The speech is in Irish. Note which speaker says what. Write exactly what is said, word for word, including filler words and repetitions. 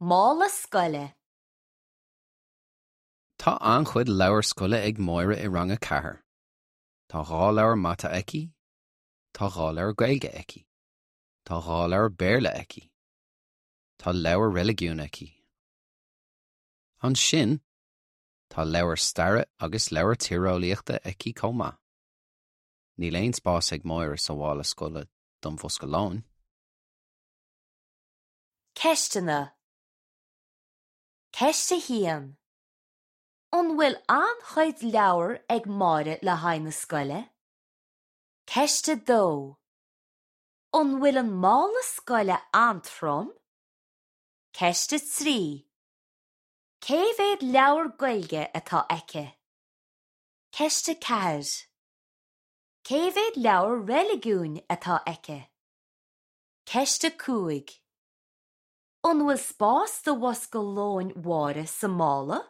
Speaker 1: Mála scoile.
Speaker 2: Tá an-chuid leabhar scoile ag Máire i rang a ceathair. Tá dhá leabhar mata aici, Tá dhá leabhar Gaeilge aici. Tá dhá leabhar Béarla aici. Tá leabhar reiligiún aici. Ansin, tá leabhar staire agus leabhar tíreolaíochta aici chomh maith. Níl aon spás ag Máire sa mhála scoile don bhosca lóin.
Speaker 1: Ceisteanna. Ceist a haon. An bhfuil an-chuid leabhar ag Máire le haghaidh na scoile? Ceist a dó. An bhfuil an mála scoile an-trom? Ceist a trí. Cé mhéad leabhar Gaeilge atá aici? Ceist a ceathair. Cé mhéad leabhar reiligiúin atá aici? Ceist a cúig. An bhfuil spás do bhosca lóin Mháire sa mála?